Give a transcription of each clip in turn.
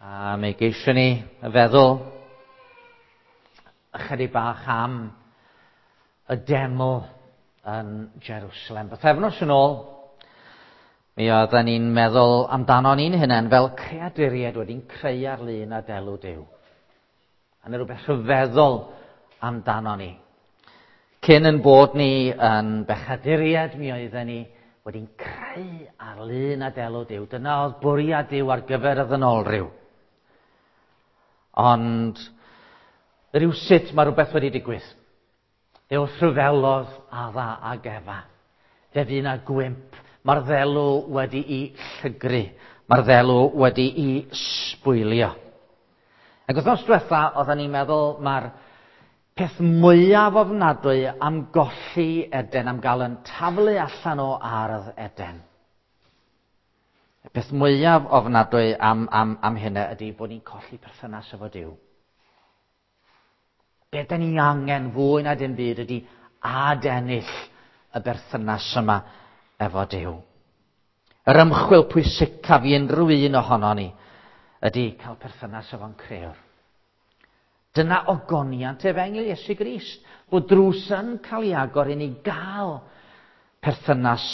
A mi geisiwn ni feddwl ychydig bach am y deml yn Jerusalem. Bythefnos yn ôl, mi oedden ni'n meddwl amdano ni'n hunain fel creaduriaid wedi'n creu ar lun a delw Duw. A 'na rhywbeth rhyfeddol amdano ni. Cyn yn bod ni yn bechaduriaid, mi oedden ni wedi'n creu ar lun a delw Duw. Dyna oedd bwriad Duw ar gyfer y ddynolryw. Ond rywsut mae rhywbeth wedi digwydd. Fe wrthryfelodd Adda ag Efa. Fe fu 'na gwymp. Mae'r ddelw wedi'i llygru. Mae'r ddelw wedi'i sbwylio. Ac wythnos diwetha, oedden ni'n meddwl mae'r peth mwyaf ofnadwy am golli Eden, am gael yn taflu allan o ardd Eden. Y peth mwyaf ofnadwy am, am, am hynna ydy bod ni'n colli perthynas efo Duw. Be da ni angen fwy na dim byd ydy adennill y berthynas yma efo Duw. Yr ymchwil pwysicaf i unrhyw un ohono ni ydy cael perthynas efo'n crëwr. Dyna ogoniant efengyl Iesu Grist, bod drws yn cael ei agor i ni gael perthynas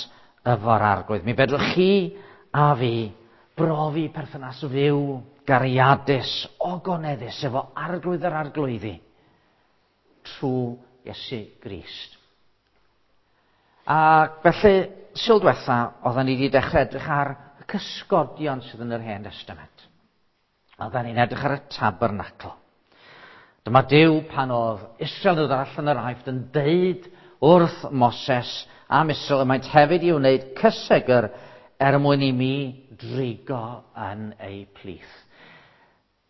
efo'r Arglwydd. Mi fedrwch chi a fi brofi perthynas fyw, gariadus, ogoneddus efo Arglwydd yr Arglwyddi trwy Iesu Grist. A felly, Sul diwetha, oedden ni wedi dechrau edrych ar y cysgodion sydd yn yr Hen Testament. Oedden ni'n edrych ar y tabernacl. Dyma Duw pan oedd Israel yn dod allan o'r Aifft yn deud wrth Moses am Israel y maent hefyd i wneud cysegr er mwyn i mi drigo yn eu plith.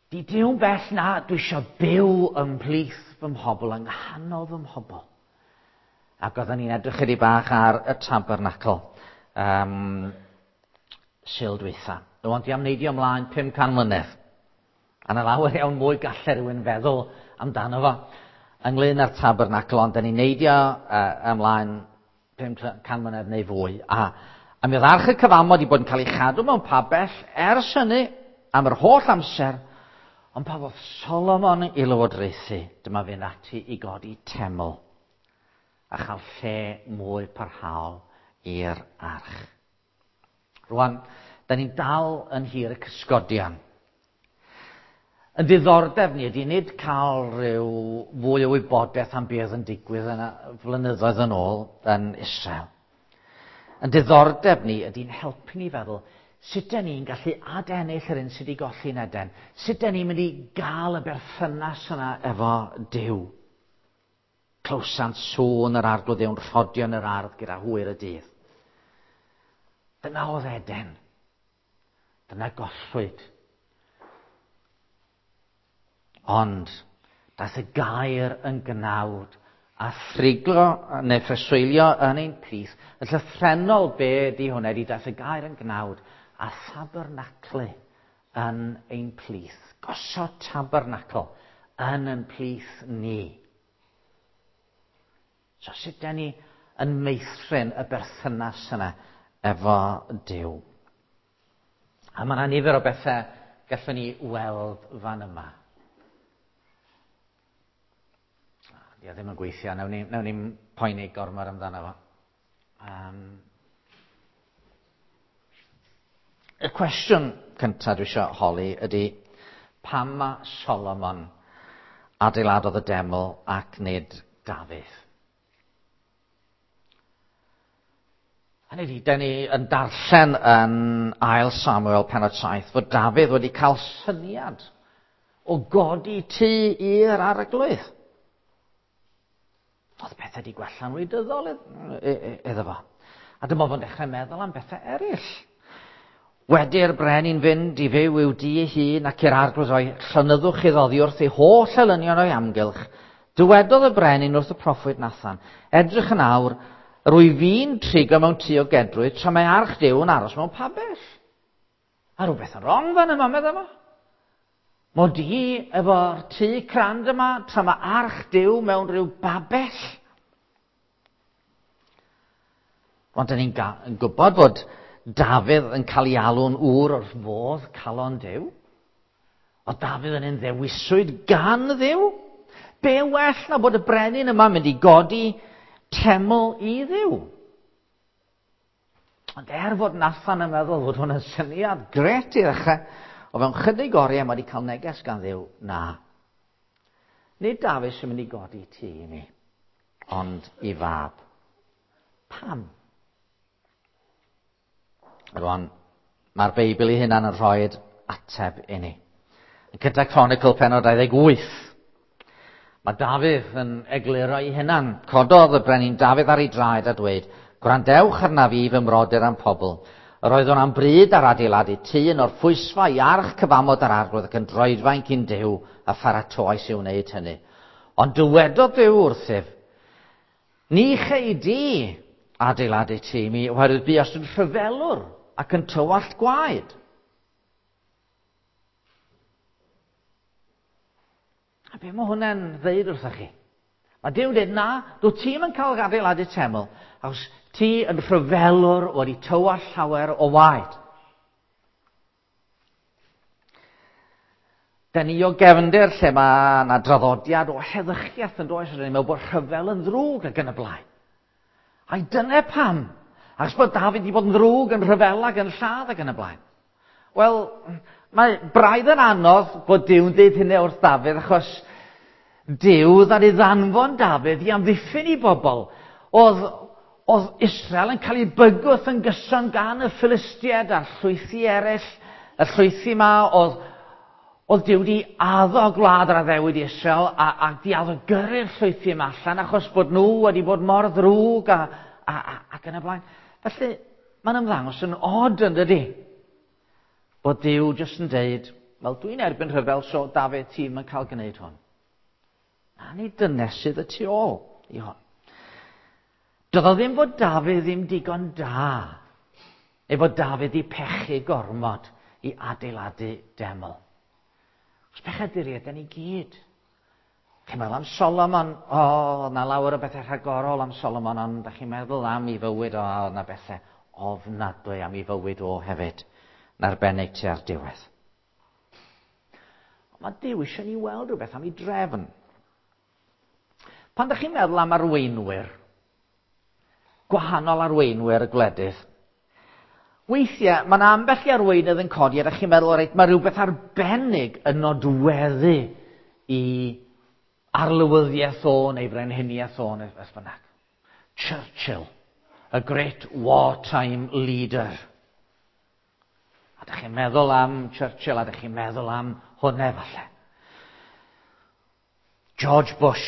Di Duw'n bell na, dwi eisiau byw ymhlith fy mhobl, yng nghanol fy mhobl. Ac oedden ni'n edrych chydig bach ar y tabernacl um, Sul dwytha. Rwan dwi am neidio ymlaen 500 mlynedd. A na lawer iawn mwy gallai rhywun feddwl amdano fo ynglyn â'r tabernacl, ond da ni'n neidio ymlaen 500 mlynedd neu fwy. A, a mi oedd arch y cyfamod i bod yn cael ei chadw mewn pabell ers hynny am yr holl amser, ond pan ddoth Solomon i lywodraethu, dyma fynd ati i godi teml a chael lle mwy parhaol i'r arch. Rwan, da ni'n dal yn hir y cysgodion. Yn diddordeb ni ydy nid cael rhyw fwy o wybodaeth am beth yn digwydd yn flynyddoedd yn ôl yn Israel. Yn diddordeb ni ydy'n helpu ni feddwl sut da ni'n gallu adennill yr un sydd wedi golli'n Eden. Sut da ni'n mynd i gael y berthynas yna efo Duw. Clywsant sŵn yr arglwydd Dduw'n rhodio yn yr ardd gyda hwyr y dydd. Dyna oedd Eden. Dyna gollwyd. Ond daeth y gair yn gnawd a thriglo neu phreswylio yn ein plith. Y llythrennol be di hwnna ydi daeth y gair yn gnawd a thabernaclu yn ein plith. Gosod tabernacl yn ein plith ni. So sut da ni yn meithrin y berthynas yna efo Duw? A mae yna nifer o bethau gallwn ni weld fan yma. Di o ddim yn gweithio, nawn ni, nawn ni poeni gormod amdano fo. Um, y cwestiwn cyntaf dwi eisiau holi ydy, pam mae Solomon adeiladodd y deml ac nid Dafydd? Hynny ydy, da ni yn darllen yn Ail Samuel penod 7 fod Dafydd wedi cael syniad o godi tŷ i'r arglwydd. Oedd pethau wedi gwella'n wleidyddol iddo fo. A dyma fo'n dechrau meddwl am bethau eraill. Wedi'r brenin fynd i fyw i'w dŷ ei hun ac i'r arglwydd roi llonyddwch iddo oddi wrth ei holl elynion o'i amgylch, dywedodd y brenin wrth y proffwyd Nathan, Edrych yn awr, yr wyf fi'n trigo mewn tŷ o gedrwydd, tra mae arch Duw yn aros mewn pabell. A rhywbeth yn wrong fan yma, medda fo. Mod i efo'r tŷ crand yma, tra mae arch Duw mewn rhyw babell. Ond dyn ni'n gwybod bod Dafydd yn cael ei alw'n ŵr wrth fodd calon Duw. Oedd Dafydd yn un ddewiswyd gan Dduw. Be well na bod y brenin yma mynd i godi teml i Dduw? Ond er fod Nathan yn meddwl fod hwn yn syniad gret i ddechrau, o fewn chydig oriau mae wedi cael neges gan Dduw, na. Nid Dafydd sy'n mynd i godi tŷ i mi, ond i fab. Pam? Rwan, mae'r Beibl ei hunan yn rhoi ateb i ni. Yn cyntaf Chronicle penod 28, mae Dafydd yn egluro ei hunan. Cododd y brenin Dafydd ar ei draed a dweud, Gwrandewch arnaf fi fy mrodyr a'm pobl. Yr oeddwn am bryd ar adeiladu tŷ yn orffwysfa i arch cyfamod yr arglwydd ac yn droedfaen cyn Duw a pharatoais i wneud hynny. Ond dywedodd Duw wrthyf, Ni chei di adeiladu tŷ i mi, oherwydd buost yn rhyfelwr ac yn tywallt gwaed. A be mae hwnna'n ddeud wrthych chi? Mae Duw'n dweud, na, dwi ti'n yn cael adeiladu teml, achos ti yn rhyfelwr wedi tywallt llawer o waed. Da ni o gefndir lle mae yna draddodiad o heddychiaeth yn does, rydyn ni'n meddwl bod rhyfel yn ddrwg ac yn y blaen. Ai dyna pam? Achos bod David wedi bod yn ddrwg yn rhyfel ac yn lladd ac yn y blaen. Wel, mae braidd yn anodd bod Duw'n deud hynny wrth Dafydd achos Duw ddaru ddanfon Dafydd i amddiffyn i bobl. Oedd, oedd Israel yn cael ei bygwth yn gyson gan y Philistiaid a'r llwythi eraill. Y llwythi yma oedd, oedd Duw wedi addo gwlad yr addewid i Israel a, a di addo gyrru'r llwythi yma allan achos bod nhw wedi bod mor ddrwg a, a, a, ac yn y blaen. Felly, mae'n ymddangos yn od yn dydy? Bod Duw jyst yn deud, wel dwi'n erbyn rhyfel, so Dafydd ti'n yn cael gwneud hwn. Na, ni dynes sydd y tu ôl i hwn. Doedd o ddim fod Dafydd ddim digon da, neu fod Dafydd i pechu gormod i adeiladu deml. Os pechaduriaid, da ni gyd. Chi'n meddwl am Solomon, o, oh, na lawer o bethau rhagorol am Solomon, ond da chi'n meddwl am ei fywyd o, oh, na bethau ofnadwy am ei fywyd o hefyd, yn arbennig tua'r diwedd. Ond mae Duw eisiau ni weld rhywbeth am ei drefn. Pan da chi'n meddwl am arweinwyr, gwahanol arweinwyr y gwledydd, weithiau mae yna ambell i arweinydd yn codi a da chi'n meddwl, reit, mae rhywbeth arbennig yn nodweddu i arlywyddiaeth o neu frenhiniaeth o neu beth bynnag. Churchill, a great wartime leader. A da chi'n meddwl am Churchill a da chi'n meddwl am hwnna falle. George Bush.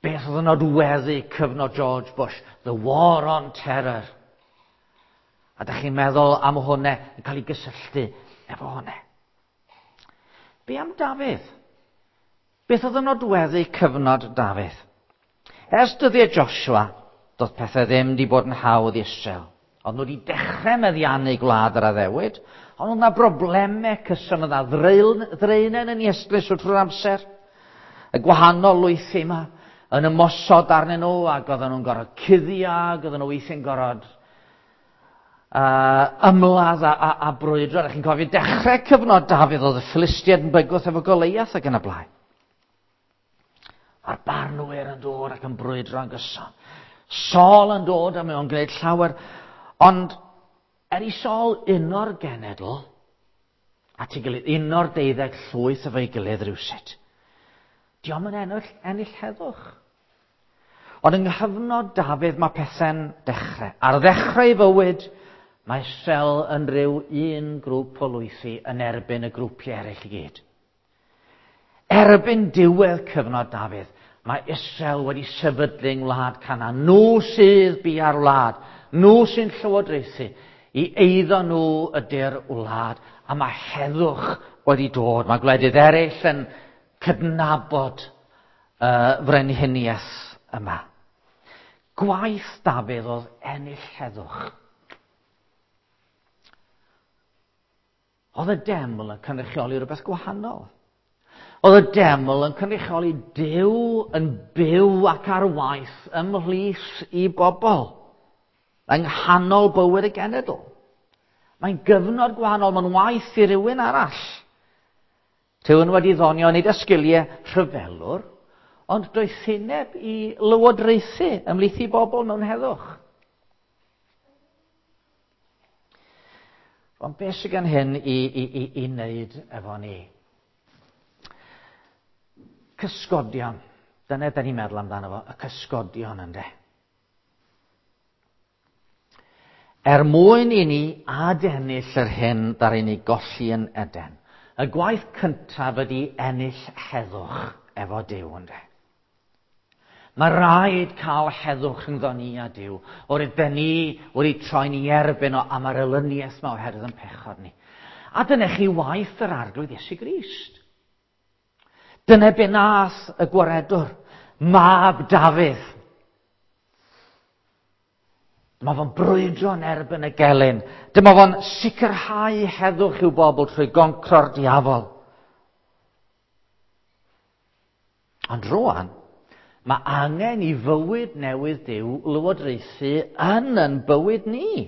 Beth oedd yn nodweddu cyfnod George Bush? The War on Terror. A da chi'n meddwl am hwnna yn cael ei gysylltu efo hwnna. Be am Dafydd? Beth oedd yn nodweddu cyfnod Dafydd? Ers dyddiau Joshua, doedd pethau ddim wedi bod yn hawdd i Israel. Ond nhw wedi dechrau meddiannu gwlad yr addewid, ond oedd yna broblemau cyson, oedd yna ddraenen yn Iestlys wrth trwy'r amser. Y gwahanol lwythi yma yn ymosod arnyn nhw, ac oedden nhw'n gorfod cuddio, ac oedden nhw weithiau'n gorfod ymladd a, a, a brwydro. Rydych chi'n cofio dechrau cyfnod Dafydd oedd y Philistiaid yn bygwth efo Goleiath ac yn y blaen. Mae'r barnwyr yn dod ac yn brwydro yn gyson. Saul yn dod a mae o'n gwneud llawer. Ond er i Saul uno'r genedl, at ei gilydd, uno'r deuddeg llwyth efo'i gilydd rhywsut, diolch yn ennill, ennill heddwch. Ond yng nghyfnod Dafydd mae pethau'n dechrau. Ar ddechrau ei fywyd, mae Israel yn rhyw un grŵp o lwythi yn erbyn y grwpiau eraill i gyd. Erbyn diwedd cyfnod Dafydd, mae Israel wedi sefydlu yng ngwlad Canaan. Nhw sydd bia'r wlad. Nhw sy'n llywodraethu. I eiddo nhw ydy'r wlad. A mae heddwch wedi dod. Mae gwledydd eraill yn cydnabod y frenhiniaeth yma. Gwaith Dafydd oedd ennill heddwch. Oedd y deml yn cynrychioli rhywbeth gwahanol. Oedd y deml yn cynrychioli Duw yn byw ac ar waith ymhlith i bobl, yng nghanol bywyd y genedl. Mae'n gyfnod gwahanol, mae'n waith i rywun arall. Rhywun wedi ddonio nid â sgiliau rhyfelwr, ond doethineb i lywodraethu ymhlith i bobl mewn heddwch. Ond beth sydd gan hyn i, i, i, i wneud efo ni? Cysgodion. Dyna da ni'n meddwl amdano fo, y cysgodion ynde. Er mwyn i ni adennill yr hyn ddaru ni golli yn Eden, y gwaith cyntaf ydy ennill heddwch efo Duw, ynde? Mae rhaid cael heddwch rhyngddo ni a Duw, oherwydd ben ni wedi troi'n i erbyn o am yr elyniaeth yma oherwydd yn pechod ni. A dyna chi waith yr Arglwydd Iesu Grist. Dyna be nath y gwaredwr, mab Dafydd. Dyma fo'n brwydro yn erbyn y gelyn. Dyma fo'n sicrhau heddwch i'w bobl trwy goncro'r diafol. Ond rwan, mae angen i fywyd newydd Duw lywodraethu yn yn bywyd ni.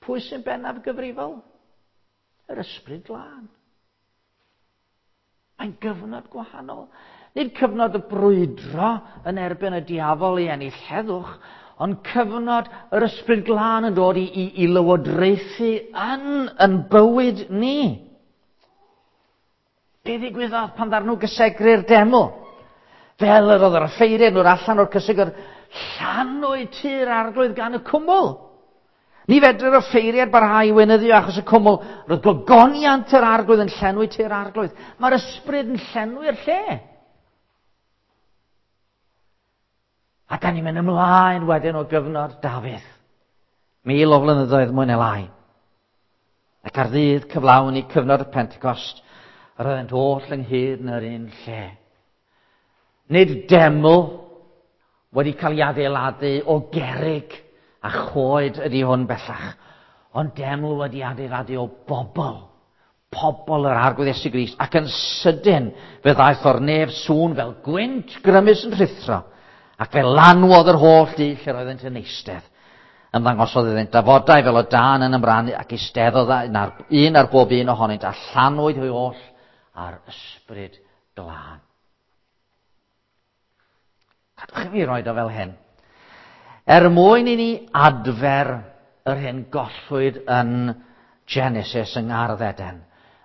Pwy sy'n bennaf gyfrifol? Yr Ysbryd Glân. Mae'n gyfnod gwahanol. Nid cyfnod y brwydro yn erbyn y diafol i ennill heddwch, ond cyfnod yr Ysbryd Glân yn dod i, i, i lywodraethu yn yn bywyd ni. Be ddigwyddodd pan ddarnw gysegru'r deml? Fel yr oedd yr offeiriad nhw'r allan o'r cysegr, llanwyd tŷ'r arglwydd gan y cwmwl. Ni fedru'r offeiriad barhau i weinyddu achos y cwmwl. Roedd gogoniant yr arglwydd yn llenwi tŷ'r arglwydd. Mae'r ysbryd yn llenwi'r lle. A da ni'n mynd ymlaen wedyn o gyfnod Dafydd. 1000 o flynyddoedd mwy neu lai. Ac ar ddydd cyflawn i cyfnod y Pentecost, yr oeddent oll ynghyd yn yr un lle. Nid deml wedi cael ei adeiladu o gerrig a choed ydy hwn bellach, ond deml wedi adeiladu o bobl, pobl yr Arglwydd Iesu Grist, ac yn sydyn fe ddaeth o'r nef sŵn fel gwynt grymus yn rhuthro, ac fe lanwodd yr holl dŷ lle roeddent yn eistedd. Ymddangosodd iddynt dafodau fel o dân yn ymrannu ac eisteddodd un ar, un ar bob un ohonynt a llanwyd hwy oll â'r Ysbryd Glân. Cadwch i fi roed o fel hyn. Er mwyn i ni adfer yr hyn gollwyd yn Genesis yng Ngardd Eden,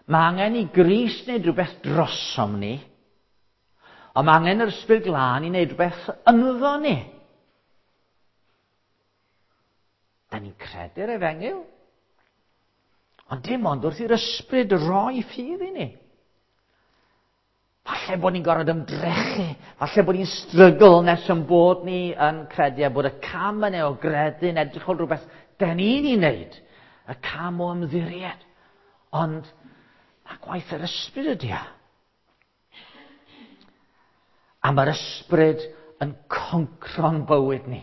mae angen i Grist wneud rhywbeth drosom ni, ond mae angen yr Ysbryd Glân i wneud rhywbeth ynddo ni. Da ni'n credu'r efengyl. Ond dim ond wrth i'r ysbryd roi ffydd i ni. Falle bod ni'n gorfod ymdrechu, falle bod ni'n strygl nes yn bod ni yn credu a bod y cam yna o gredu yn edrych o rhywbeth da ni'n ei wneud, y cam o ymddiried. Ond mae gwaith yr ysbryd ydy o. A mae'r ysbryd yn concro'n bywyd ni.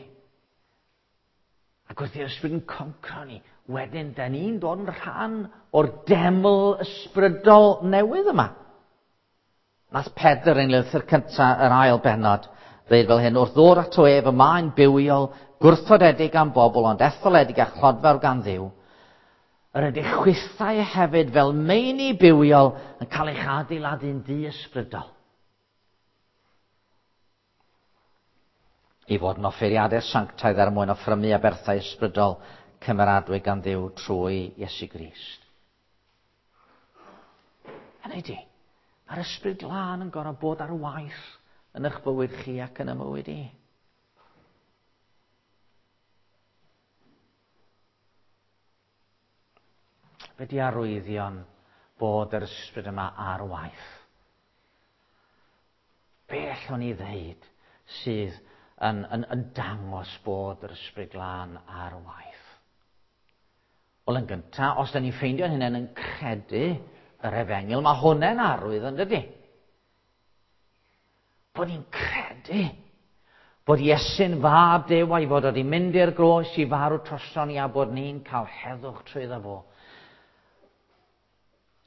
Ac wrth i'r ysbryd yn concro ni, wedyn da ni'n dod yn rhan o'r deml ysbrydol newydd yma. Nath Pedr yn lythyr cyntaf yr ail bennod ddeud fel hyn, wrth ddod ato ef y mae'n bywiol, gwrthodedig am bobl, ond etholedig a chlodfawr gan Dduw, yr ydych chwithau hefyd fel meini bywiol yn cael eich adeiladu'n dŷ ysbrydol. I fod yn offeiriadau sanctaidd er mwyn offrymu aberthau ysbrydol cymeradwy gan Dduw trwy Iesu Grist. Hynny ydi, mae'r Ysbryd Glân yn gorfod bod ar waith yn eich bywyd chi ac yn y mywyd i. Be di arwyddion bod yr ysbryd yma ar waith? Be allwn ni ddeud sydd yn, yn, yn dangos bod yr Ysbryd Glân ar waith? Wel, yn gyntaf, os da ni'n ffeindio'n hunain yn credu yr efengyl, mae hwnna'n arwydd, yn dydy? Bod ni'n credu bod Iesu'n fab Duw a'i fod wedi mynd i'r groes i farw troson ni a bod ni'n cael heddwch trwyddo fo.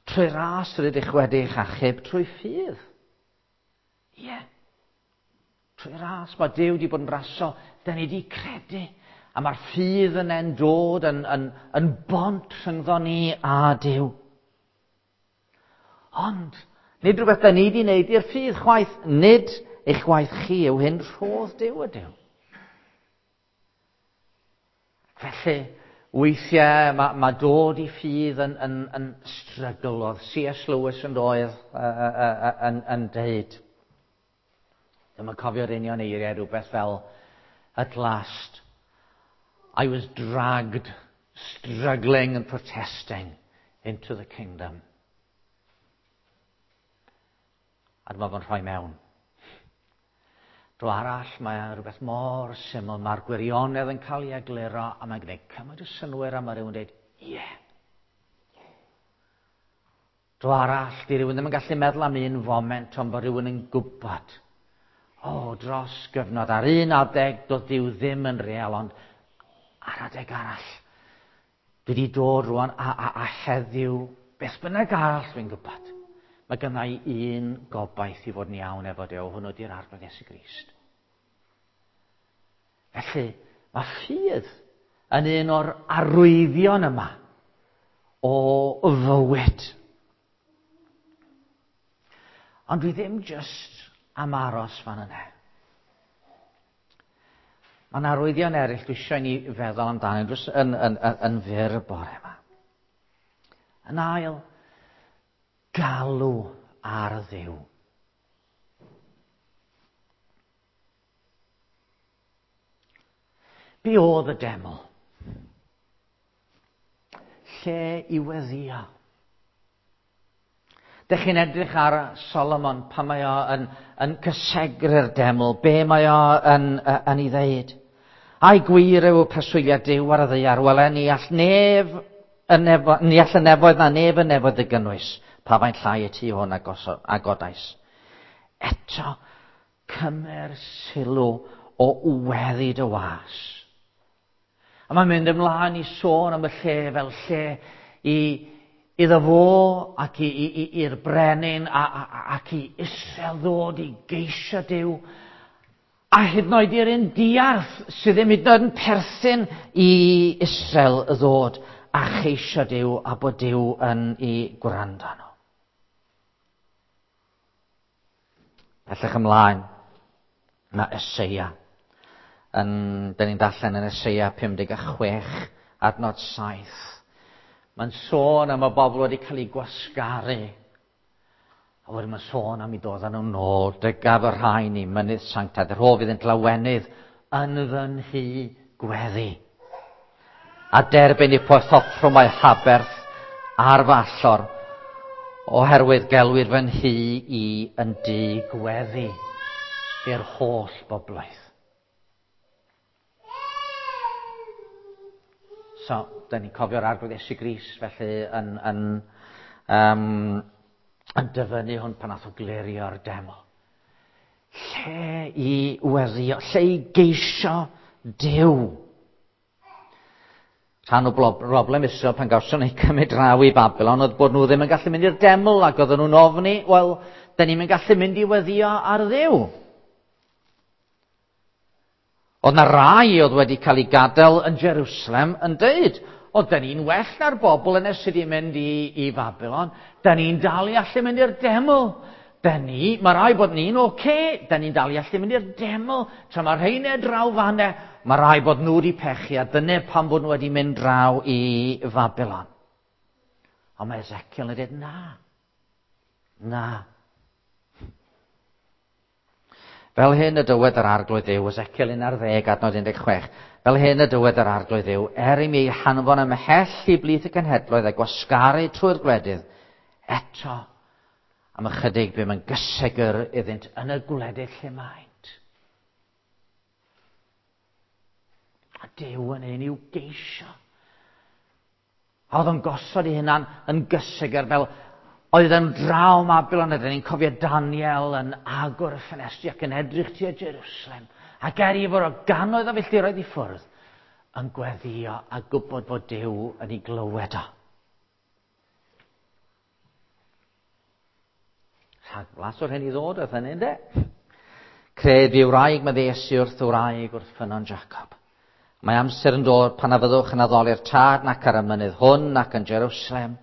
Trwy ras rydych wedi'ch achub trwy ffydd. Ie. Yeah. Trwy ras, mae Duw wedi bod yn raso. Da ni wedi credu. A mae'r ffydd yna'n dod yn, yn, yn bont rhyngddo ni a Duw. Ond, nid rhywbeth da ni wedi wneud i'r ffydd chwaith, nid eich gwaith chi yw hyn, rhodd Duw ydyw. Felly, weithiau mae dod i ffydd yn strygl. Oedd C.S. Lewis yn doedd yn deud. Dwi'n yn cofio'r union eiriau, rhywbeth fel, "At last, I was dragged, struggling and protesting into the kingdom." A dyma fo'n rhoi mewn. Dro arall, mae rhywbeth mor syml, mae'r gwirionedd yn cael ei egluro, a mae'n gwneud cymaint o synnwyr a mae rhywun yn dweud, "Ie." Yeah. Dro arall, di rhywun ddim yn gallu meddwl am un foment, ond bod rhywun yn gwybod. O, oh, dros gyfnod, ar un adeg, doedd Duw ddim yn real, ond ar adeg arall, dwi wedi dod rwan a heddiw, beth bynnag arall dwi'n gwybod, mae gynna i un gobaith i fod yn iawn efo Duw, hwnnw di'r Arglwydd Iesu Grist. Felly, mae ffydd yn un o'r arwyddion yma o fywyd. Ond dwi ddim just am aros fan yna. Mae yna arwyddion eraill dwi eisiau ni feddwl amdano jyst yn fyr y bore yma. Yn ail, galw ar Dduw. Be oedd y deml? Lle i weddio. Dych chi'n edrych ar Solomon pan mae o yn cysegru'r deml, be mae o yn ei ddeud? "Ai gwir yw preswyliad Duw ar y ddaear? Wele, ni all nef y nefo, ni all y nefoedd na nef y nefoedd dy gynnwys, pa faint llai y tŷ hwn a godais." Eto, cymer sylw o weddi dy was. A mae'n mynd ymlaen i sôn am y lle fel lle iddo fo ac i'r brenin ac i Israel ddod i geisio Duw. A hyd yn oed i'r un diarth sydd ddim hyd yn oed yn perthyn i Israel ddod a cheisio Duw a bod Duw yn ei gwrando nhw. Pellach ymlaen, mae Eseia. Dyn ni'n darllen yn Eseia 56, adnod 7. Mae'n sôn am y bobl wedi cael eu gwasgaru. A wedyn mae'n sôn am i dod â nhw nôl. "Dygaf y rhain i mynydd sanctaidd, rhof iddynt lawenydd yn fy nhŷ gweddi. A derbyn eu poethoffrwm a'u haberth ar fy allor, oherwydd gelwir fy nhŷ i yn dŷ gweddi i'r holl bobloedd." So, da ni'n cofio'r Arglwydd Iesu Grist, felly yn dyfynnu hwn pan nath o glirio'r deml. Lle i weddio, lle i geisio Duw. Rhan o broblem Israel pan gawson nhw cymryd draw i Babylon oedd bod nhw ddim yn gallu mynd i'r deml ac oedden nhw'n ofni, wel, da ni'n gallu mynd i weddio ar Dduw. Oedd na rai oedd wedi cael ei gadael yn Jerusalem yn deud, "O, da ni'n well na'r bobl yna sydd wedi mynd i Babylon, da ni'n dal i allu mynd i'r deml. Mae rai bod ni'n oce, okay, da ni'n dal i allu mynd i'r deml, tra mae rheina draw fanne, mae rai bod nhw wedi pechu, a dyna pam bod nhw wedi mynd draw i Babylon." Ond mae Ezekiel yn dweud, "Na, na." Fel hyn y dywed yr Arglwydd Dduw, Ezekiel 11, adnod 16. "Fel hyn y dywed yr Arglwydd Dduw, er i mi hanfon ymhell i blith y cenhedloedd a gwasgaru trwy'r gwledydd, eto am ychydig bum yn gysegr iddynt yn y gwledydd lle maent." A Duw yn un i'w geisio. A oedd o'n gosod ei hunan yn gysegr fel oedd yn draw Babylon, ydyn ni'n cofio Daniel yn agor y ffenestri ac yn edrych tua Jerusalem. Ac er i fod o gannoedd o filltiroedd i ffwrdd, yn gweddio a gwybod bod Duw yn ei glywed o. Rhagflas o'r hyn i ddod oedd hynny, ynddo? "Cred fi, wraig," medde Iesu wrth y wraig wrth ffynnon Jacob. "Mae amser yn dod pan na fyddwch yn addoli'r Tad nac ar y mynydd hwn nac yn Jerusalem."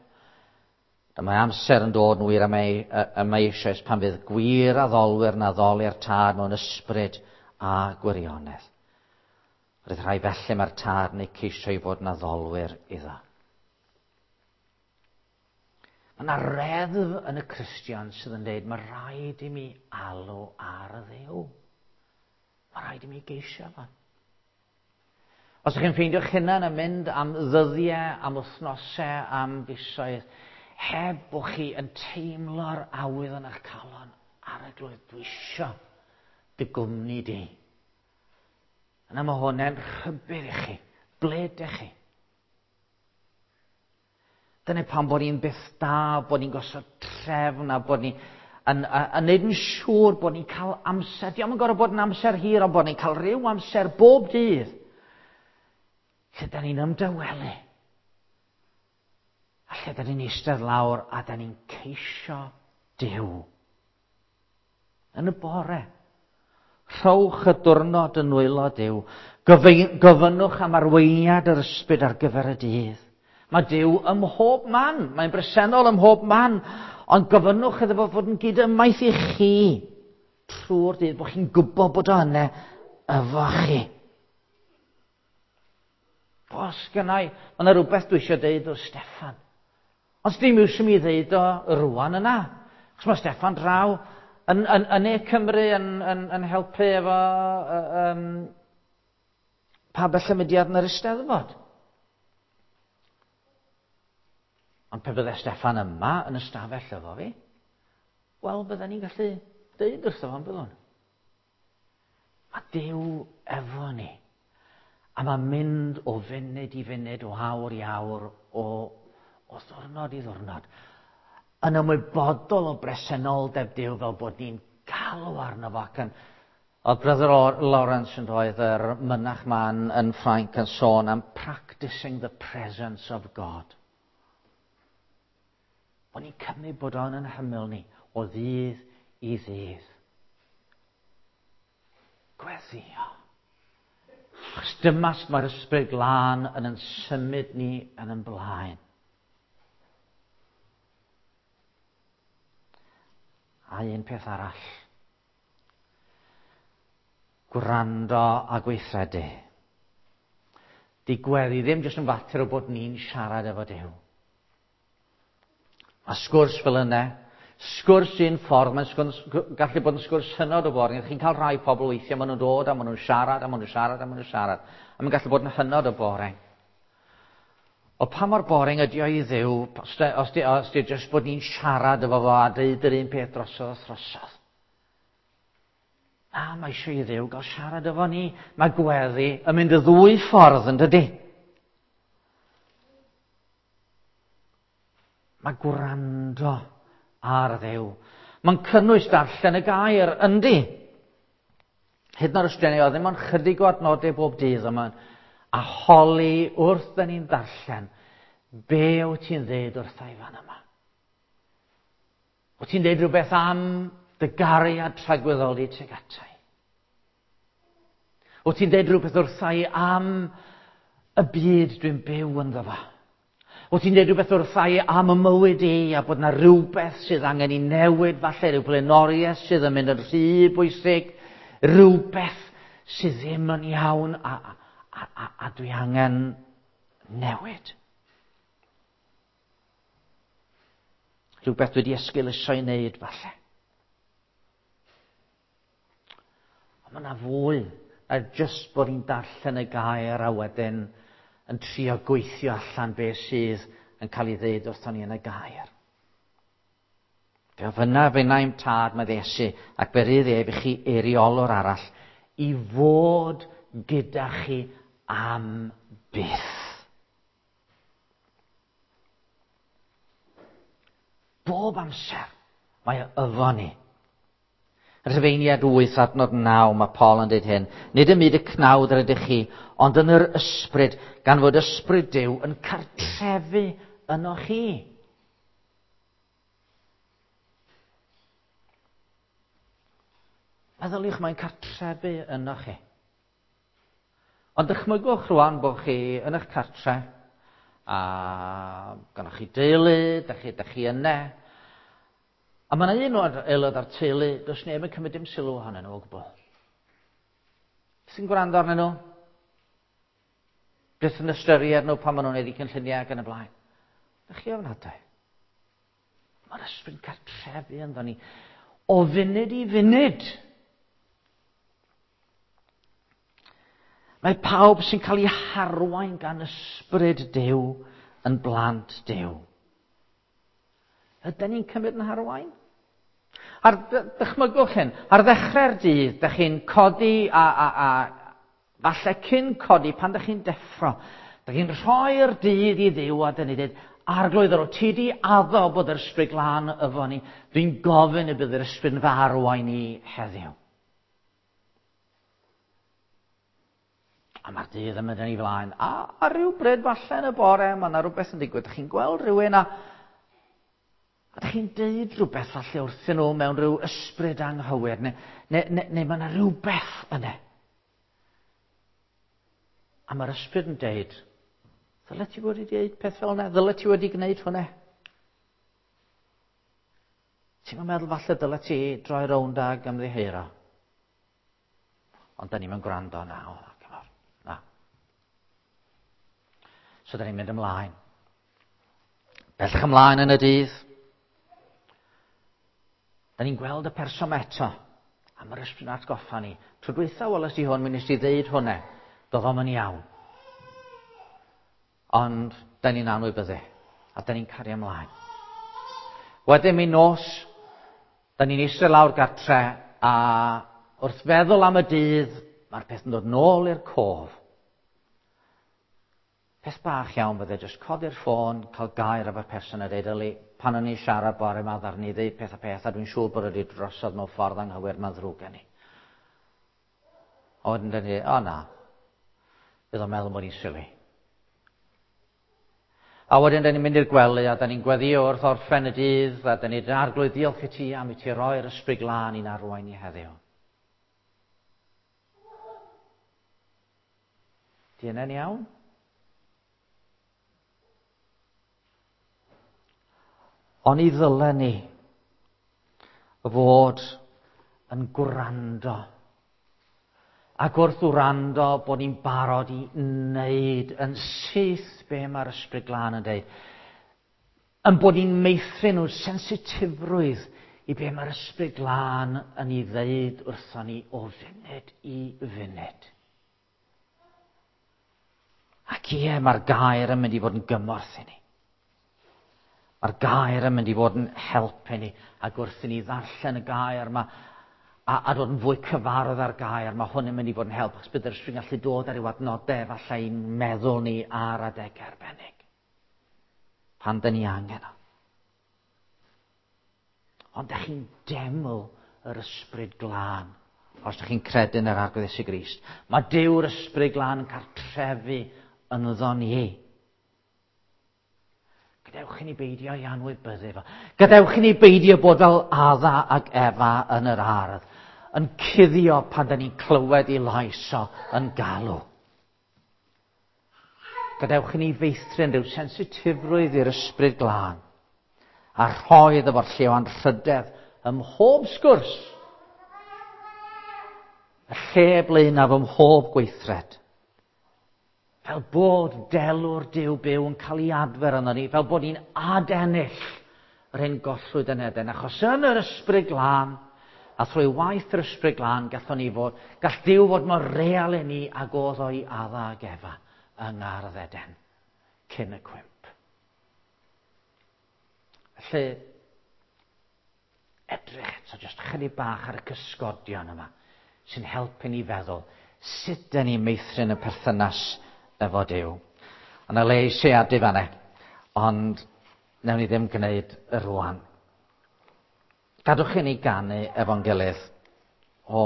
Dyma amser yn dod yn wir am ei, am eisoes pan fydd gwir addolwyr yn addoli'r tad mewn ysbryd a gwirionedd. Roedd rhai felly mae'r tad yn eu ceisio i fod yn addolwyr iddo. Mae yna reddf yn y Cristion sydd yn dweud mae rhaid i mi alw ar y ddew. Mae rhaid i mi geisio fo. Os ydych chi'n ffeindio'ch hunan yn mynd am ddyddiau, am wythnosau, am fisoedd, heb bod chi yn teimlo'r awydd yn eich calon ar y glwydd, dwi isio dy gwmni di. Yna mae hwnna'n rhybudd i chi. Ble ydych chi? Dyna pam bod ni'n byth da, bod ni'n gosod trefn a bod ni yn, yn, yn neud yn siŵr bod ni'n cael amser. Diolch yn gorfod bod yn amser hir, ond bod ni'n cael rhyw amser bob dydd lle da ni'n ymdawelu. A lle da ni'n eistedd lawr a da ni'n ceisio Duw. Yn y bore. Rhowch y diwrnod yn nwylo Duw. Gofynnwch am arweiniad yr ysbryd ar gyfer y dydd. Mae Duw ym mhob man. Mae'n bresennol ym mhob man. Ond gofynnwch iddo fo fod yn gydymaith i chi trwy'r dydd, bod chi'n gwybod bod o yna efo chi. Os gynnau, mae yna rhywbeth dwi eisiau deud wrth Steffan. Ond dim iws i mi ddeud o rwan yna. Chos mae Steffan draw yn, yn, yn Ne Cymru yn, yn, yn helpu efo um, pabell y mudiad yn yr Eisteddfod. Ond pe bydde Steffan yma yn y stafell efo fi, wel, bydden ni'n gallu deud wrtho fo'n byddwn. Mae Duw efo ni. A mae'n mynd o funud i funud, o awr i awr, o, o ddwrnod i ddwrnod. Yn ymwybodol o bresenoldeb Duw fel bod ni'n galw arno fo ac yn... Oedd Brother Lawrence yn doedd yr mynach ma'n yn Ffrainc yn sôn am practicing the presence of God. Bod ni'n cymryd bod o'n yn hymyl ni o ddydd i ddydd. Gweddio. Achos dyma sut mae'r ysbryd glân yn yn symud ni yn yn blaen. A un peth arall. Gwrando a gweithredu. Di gweddi ddim jyst yn fater o bod ni'n siarad efo Duw. A sgwrs fel yna, sgwrs un ffordd, mae'n sgwrs, gallu bod yn sgwrs hynod o boring. Chi'n cael rhai pobl weithiau, maen nhw'n dod a maen nhw'n siarad a maen nhw'n siarad a maen nhw'n siarad. A mae'n gallu bod yn hynod o boring. O pa mor boring ydy o i Dduw, os di, os di, os di jyst bod ni'n siarad efo fo a deud yr un peth drosodd a throsodd. Na, mae eisiau i Dduw gael siarad efo ni. Mae gweddi yn mynd y ddwy ffordd, yn dydy? Mae gwrando ar Dduw. Mae'n cynnwys darllen y gair, yndi. Hyd yn oed os dyn ni, oedd ddim ond chydig o adnodau bob dydd yma, a holi wrth dyn ni'n darllen, be wyt ti'n dweud wrtha i fan yma? Wyt ti'n dweud rhywbeth am dy gariad tragwyddol di tuag ata i? Wyt ti'n dweud rhywbeth wrtha i am y byd dwi'n byw ynddo fo? Wyt ti'n dweud rhywbeth wrtha i am y mywyd i a bod yna rhywbeth sydd angen i newid, falle rhyw blaenoriaeth sydd yn mynd yn rhy bwysig, rhywbeth sydd ddim yn iawn a, a, a, a dwi angen newid. Rhywbeth dwi wedi esgeuluso i wneud, falle. Ond mae yna fwy na jyst bod ni'n darllen y gair a wedyn yn trio gweithio allan beth sydd yn cael ei ddeud wrthon ni yn y gair. Fe ofynnaf finna i'm tad, medd Iesu, ac fe rydd ef i chi eiriolwr arall i fod gyda chi am byth. Bob amser mae o efo ni. Rhufeiniad 8 adnod 9 mae Paul yn dweud hyn. Nid ym myd y cnawd yr ydych chi, ond yn yr ysbryd, gan fod ysbryd Duw yn cartrefu yno chi. Meddyliwch, mae'n cartrefu yno chi. Ond dychmygwch rwan bod chi yn eich cartre A gynnoch chi deulu, da chi, da chi yna. A mae yna un o'r aelod o'r teulu, does neb yn cymryd dim sylw ohonyn nhw o gwbl. Sy'n gwrando arnyn nhw? Byth yn ystyried nhw pan maen nhw'n gwneud eu cynlluniau ac yn y blaen. Da chi ofnadwy. Mae'r ysbryd yn cartrefu ynddo ni. O funud i funud. Mae pawb sy'n cael ei harwain gan ysbryd Duw yn blant Duw. Ydyn ni'n cymryd yn harwain? Ar, dychmygwch hyn, ar ddechrau'r dydd, da chi'n codi a, a, a falle cyn codi, pan da chi'n deffro, da chi'n rhoi'r dydd i Dduw a dyn ni dweud, Arglwydd, yr o ti di addo bod yr ysbryd glân efo ni, dwi'n gofyn y bydd yr ysbryd yn fy arwain i heddiw. A mae'r dydd yn mynd yn ei flaen. A, a rhyw bryd falle yn y bore, mae yna rhywbeth yn digwydd. Dych chi'n gweld rhywun a, a dych chi'n deud rhywbeth falle wrthyn nhw mewn rhyw ysbryd anghywir, neu, neu, neu, neu mae yna rhywbeth yna. A mae'r ysbryd yn deud, ddyle ti wedi deud peth fel yna? Ddyle ti wedi gwneud hwnna? Ti'n meddwl falle dyle ti droi rownd ag ymddiheuro? Ond da ni'n gwrando na, o, na, na. So da ni'n mynd ymlaen. Bellach ymlaen yn y dydd. Da ni'n gweld y person eto. A mae'r ysbryd yn atgoffa ni. Tro dwytha weles i hwn, mi nes i ddeud hwnna. Doedd o'm yn iawn. Ond da ni'n anwybyddu. A da ni'n cario ymlaen. Wedyn mi nos, da ni'n eistedd lawr gartre a wrth feddwl am y dydd, mae'r peth yn dod nôl i'r cof. Peth bach iawn bydde jyst codi'r ffôn, cael gair efo'r person a dweud, yli, pan o'n i'n siarad bore yma, ddaru ni ddeud peth a peth, a dwi'n siŵr bod wedi drosodd mewn ffordd anghywir, mae'n ddrwg gen i. A wedyn dyn ni, o na, bydd o'n meddwl bod ni'n silly. A wedyn dyn ni'n mynd i'r gwely a dyn ni'n gweddio wrth orffen y dydd a dyn ni'n arglwydd diolch i ti am i ti roi'r ysbryd glân i'n arwain i heddiw. Di hynny'n iawn? Oni ddylen ni fod yn gwrando Ac wrth wrando bod ni'n barod i wneud yn syth be mae'r Ysbryd Glân yn dweud. Yn bod ni'n meithrin nhw sensitifrwydd i be mae'r Ysbryd Glân yn ei ddeud wrthon ni o funud i funud. Ac ie, mae'r gair yn mynd i fod yn gymorth i ni. Mae'r gair yn mynd i fod yn help i ni, ac wrth i ni ddarllen y gair yma, a, a dod yn fwy cyfarwydd â'r gair, mae hwn yn mynd i fod yn help, achos bydd yr ysbryd yn gallu dod ar ryw adnodau efallai i'n meddwl ni ar adegau arbennig. Pan dyn ni angen o. Ond dych chi'n deml yr ysbryd glân os ydych chi'n credu yn yr Arglwydd Iesu Grist. Mae Duw'r ysbryd glân yn cartrefu ynddo ni. Gadewch i ni beidio i anwybyddu fo. Gadewch i ni beidio bod fel Adda ac Efa yn yr ardd, yn cuddio pan da ni'n clywed i lais o yn galw. Gadewch i ni feithrin rhyw sensitifrwydd i'r ysbryd glân a rhoi iddo fo'r lle o anrhydedd ym mhob sgwrs, y lle blaenaf ym mhob gweithred. Fel bod delw'r Duw byw yn cael ei adfer yno ni, fel bod ni'n adennill yr hyn gollwyd yn Eden. Achos yn yr ysbryd glân, a thrwy waith yr ysbryd glân, gallwn ni fod, gall Duw fod mor real i ni ag oedd o'i Adda ag Efa yng Ngardd Eden cyn y cwymp. Felly, edrych eto jyst chydig bach ar y cysgodion yma sy'n helpu ni feddwl sut dyn ni'n meithrin y perthynas efo Duw. A na le i siarad fanne, ond newn ni ddim gwneud y rwan. Gadwch i ni ganu efo'n gilydd o